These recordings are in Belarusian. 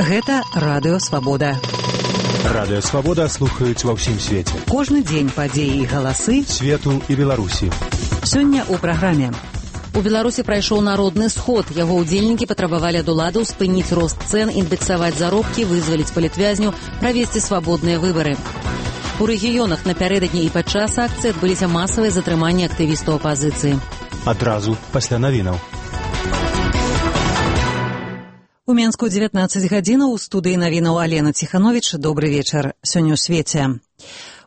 Гэта Радыё Свабода. Радыё Свабода слухаюць ва ўсім свеце. Кожны дзень падзеі і галасы свету і Беларусі. Сёння ў праграме. У Беларусі прайшоў народны сход. Яго ўдзельнікі патрабавалі ад уладаў спыніць рост цэн, індэксаваць заробкі, вызваліць палітвязню, правесці свабодныя выбары. У рэгіёнах напярэдадні і падчас акцыі адбыліся масавыя затрыманні актывістаў апазіцыі. Адразу пасля навінаў. У Менску 19 гадзінаў, у студыі навінаў Алена Ціхановіч. Добры вечар. Сёння ў свеце.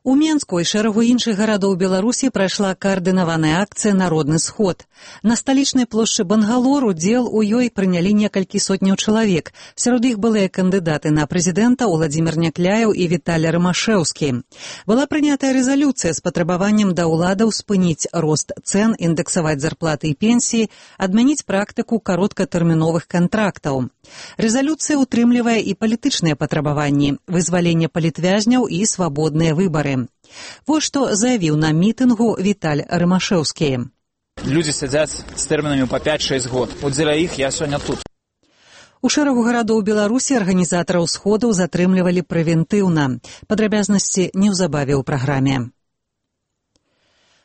У Менску і шэрагу іншых гарадоў Беларусі прайшла каардынаваная акцыя «Народны сход». На сталічнай плошчы Бангалор удзел у ёй прынялі некалькі сотняў чалавек. Сярод іх былыя кандыдаты на прэзідэнта Уладзімір Някляеў і Віталій Рымашэўскі. Была прынятая рэзалюцыя з патрабаваннем да ўладаў спыніць рост цэн, індэксаваць зарплаты і пенсіі, адмяніць практыку кароткатэрміновых кантрактаў. Рэзалюцыя ўтрымлівае і палітычныя патрабаванні, вызваленне палітвязняў і свабодныя выбары. Вось што заявіў на мітынгу Віталій Рымашэўскі. Людзі сядзяць з тэрмінамі па 5-6 год. От дзеля іх я сёння тут. У шэрагу гарадоў Беларусі арганізатараў сходаў затрымлівалі прэвентыўна. Падрабязнасці неўзабаве ў праграме.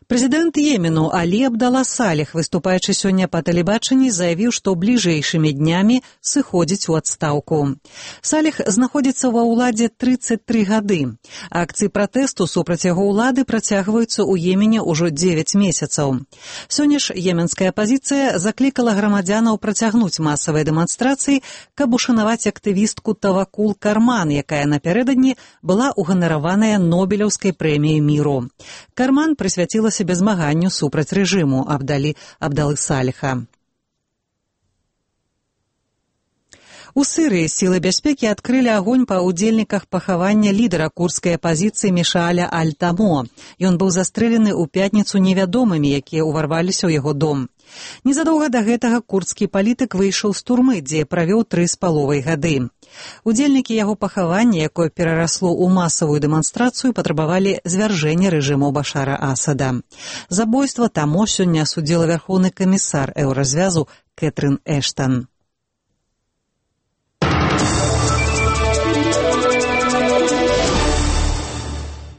Прэзідэнт Йемену Алі Абдала Саліх, выступаючы сёння па тэлебачанні, заявіў, што бліжэйшымі днямі сыходзіць у адстаўку. Саліх знаходзіцца ва ўладзе 33 гады. Акцыі пратэсту супраць яго ўлады працягваюцца ў Йемене ўжо 9 месяцаў. Сёння ж йеменская апазіцыя заклікала грамадзянаў працягнуць масавыя дэманстрацыі, каб ушанаваць актывістку Тавакул Карман, якая напярэдадні была ўганараваная Нобелеўскай прэміяй міру. Карман прысвяціла сябе змаганню супраць рэжыму Абдалы Саліха. У Сірыі сілы бяспекі адкрылі агонь па ўдзельніках пахавання лідара курдскай апазіцыі Мішааля Аль-Тамо. Ён быў застрэлены ў пятніцу невядомымі, якія ўварваліся ў яго дом. Незадоўга да гэтага курдскі палітык выйшаў з турмы, дзе правёў 3,5 гады. Удзельнікі яго пахавання, якое перарасло ў масавую дэманстрацыю, патрабавалі звяржэння рэжыму Башара Асада. Забойства Тамо сёння асудзіла вярхоўны камісар еўразвязу Кэтрын Эштан.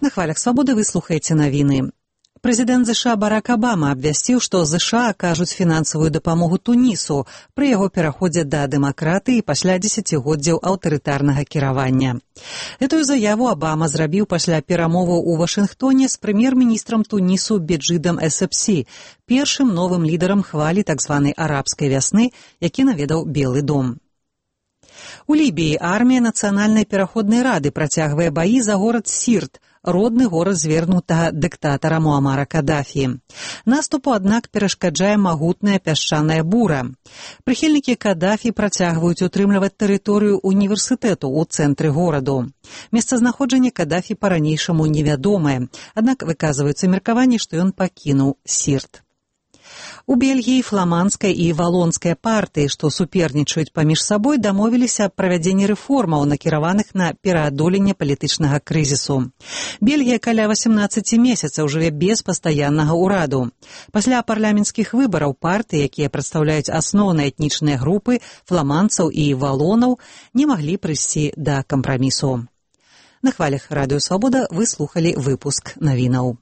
На хвалях свабоды вы слухаеце навіны. Прэзідэнт ЗША Барак Абама абвясціў, што ЗША акажуць фінансавую дапамогу Тунісу пры яго пераходзе да дэмакратыі пасля дзесяцігоддзяў аўтарытарнага кіравання. Гэтую заяву Абама зрабіў пасля перамоваў у Вашынгтоне з прэм'ер-міністрам Тунісу Беджидам Эссепсі, першым новым лідарам хвалі так званай арабскай вясны, які наведаў Белы дом. У Лібіі армія Нацыянальнай пераходнай рады працягвае баі за горад Сірт, родны горад звернутага дыктатара Муамара Кадафі. Наступу, аднак, перашкаджае магутная пясчаная бура. Прыхільнікі Кадафі працягваюць утрымліваць тэрыторыю універсітэту ў цэнтры гораду. Месцазнаходжанне Кадафі па-ранейшаму невядомае, аднак выказваюцца меркаванні, што ён пакінуў Сірт. У Бельгіі фламандская і валонская партыі, што супернічаюць паміж сабой, дамовіліся аб правядзенні рэформаў, накіраваных на пераадоленне палітычнага крызісу. Бельгія каля 18 месяцаў жыве без пастаяннага ўраду. Пасля парламенцкіх выбараў партыі, якія прадстаўляюць асноўныя этнічныя групы фламандцаў і валонаў, не маглі прыйсці да кампрамісу. На хвалях Радыё Свабода вы слухалі выпуск навінаў.